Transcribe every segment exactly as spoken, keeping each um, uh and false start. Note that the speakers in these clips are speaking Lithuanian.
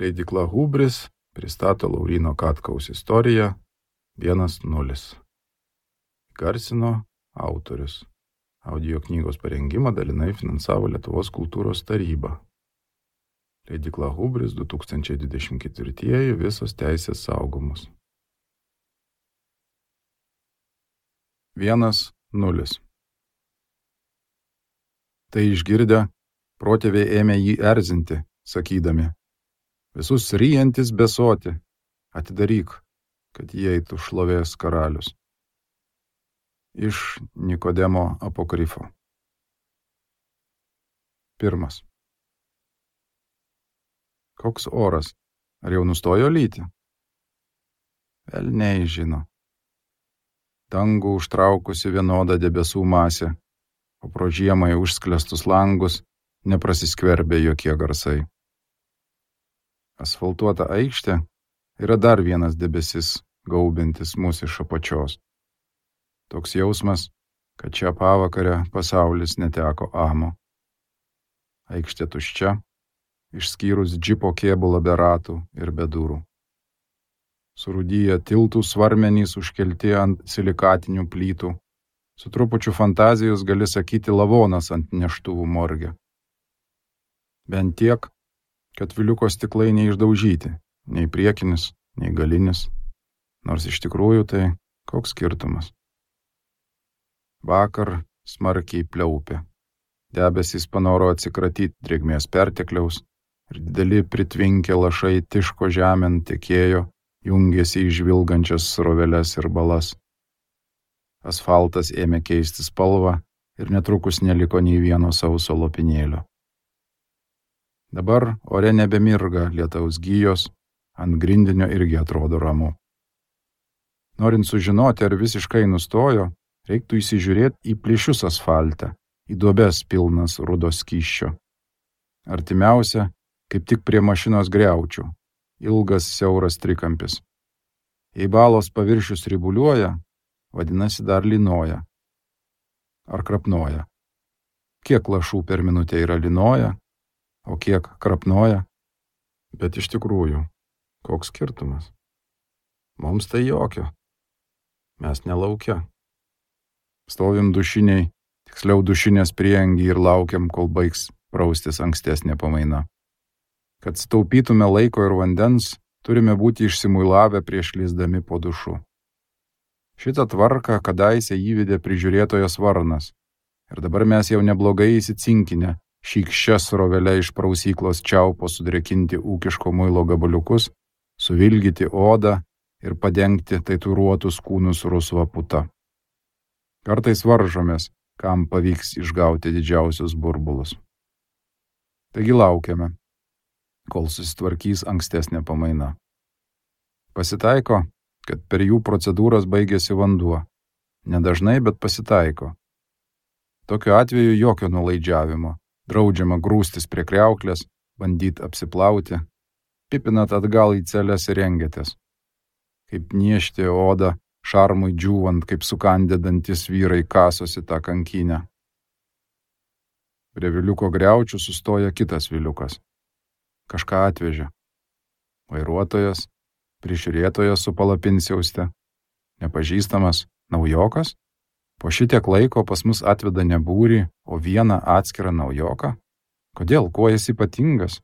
Leidykla Hubris pristato Lauryno Katkaus istoriją vienas nulis. Garsino autorius. Audio knygos parengimą dalinai finansavo Lietuvos kultūros taryba. Leidykla Hubris du tūkstančiai dvidešimt ketvirtieji visos teisės saugomos. vienas nulis. Tai išgirdę, protėviai ėmė jį erzinti, sakydami: visus ryjantis besoti, atidaryk, kad įeitų šlovės karalius. Iš Nikodemo apokrifo. Pirmas. Koks oras? Ar jau nustojo lyti? Velniai žino. Dangų užtraukusi vienoda debesų masė, o pro žiemai užsklestus langus neprasiskverbė jokie garsai. Asfaltuota aikštė yra dar vienas debesis, gaubintis mus iš apačios. Toks jausmas, kad šią pavakarę pasaulis neteko amo. Aikštė tuščia, išskyrus džipo kėbulą be ratų ir be durų. Surūdyję tiltų svarmenys užkelti ant silikatinių plytų. Su trupučiu fantazijos gali sakyti lavonas ant neštuvų morge. Bent tiek, kad viliuko stiklai neišdaužyti, nei priekinis, nei galinis. Nors iš tikrųjų tai koks skirtumas. Vakar smarkiai pliaupė. Debesys panoro atsikratyti drėgmės pertekliaus ir dideli pritvinkę lašai tiško žemėn tekėjo, jungėsi į žvilgančias sroveles ir balas. Asfaltas ėmė keisti spalvą ir netrukus neliko nei vieno sauso lopinėlio. Dabar ore nebemirga lietaus gijos, ant grindinio irgi atrodo ramu. Norint sužinoti, ar visiškai nustojo, reiktų įsižiūrėti į plyšius asfalte, į duobes pilnas rudo skysčio. Artimiausia, kaip tik prie mašinos griaučių, ilgas siauras trikampis. Jei balos paviršius ribuliuoja, vadinasi dar lynoja. Ar krapnoja. Kiek lašų per minutę yra lynoja, o kiek krapnoja? Bet iš tikrųjų, koks skirtumas? Mums tai jokio. Mes nelaukia. Stovim dušiniai, tiksliau dušinės prieangį ir laukiam, kol baigs praustis ankstesnė pamaina. Kad sutaupytume laiko ir vandens, turime būti išsimuilavę prieš lįsdami po dušu. Šitą tvarką kadaise įvedė prižiūrėtojas Varnas. Ir dabar mes jau neblogai įsicinkinę, šykščia srovelė iš prausyklos čiaupo sudrėkinti ūkiško muilo gabaliukus, suvilgyti odą ir padengti tatuiruotus kūnus rusva puta. Kartais varžomės, kam pavyks išgauti didžiausius burbulus. Taigi laukiame, kol susitvarkys ankstesnė pamaina. Pasitaiko, kad per jų procedūras baigėsi vanduo. Nedažnai, bet pasitaiko. Tokiu atveju jokio nulaidžiavimo. Draudžiama grūstis prie kriauklės, bandyti apsiplauti, pipinat atgal į celes ir rengiatės. Kaip niežti odą, šarmui džiūvant, kaip sukandę dantis vyrai kasosi tą kankinę. Prie viliuko griaučių sustoja kitas viliukas. Kažką atvežė. Vairuotojas, prižiūrėtojas su palapinsiauste, nepažįstamas naujokas. Po šitiek laiko pas mus atveda ne būrį, o vieną atskirą naujoką. Kodėl? Kuo jis ypatingas?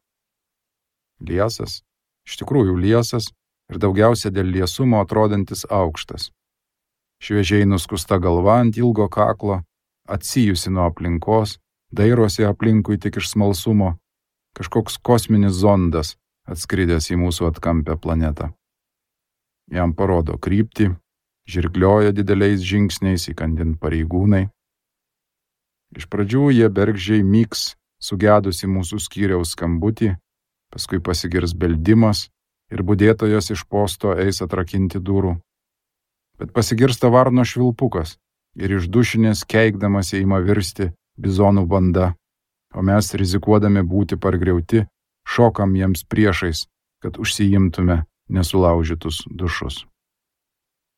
Liesas, iš tikrųjų liesas ir daugiausia dėl liesumo atrodantis aukštas. Šviežiai nuskusta galva ant ilgo kaklo, atsijusi nuo aplinkos, dairosi aplinkui tik iš smalsumo, kažkoks kosminis zondas atskridęs į mūsų atkampę planetą. Jam parodo kryptį, žirglioja dideliais žingsniais įkandint pareigūnai. Iš pradžių jie bergždžiai myks sugedusi mūsų skyriaus skambutį, paskui pasigirs beldimas ir budėtojas iš posto eis atrakinti durų. Bet pasigirsta varno švilpukas ir iš dušinės keikdamas ima virsti bizonų banda, o mes rizikuodami būti pargriauti, šokam jiems priešais, kad užsiimtume nesulaužytus dušus.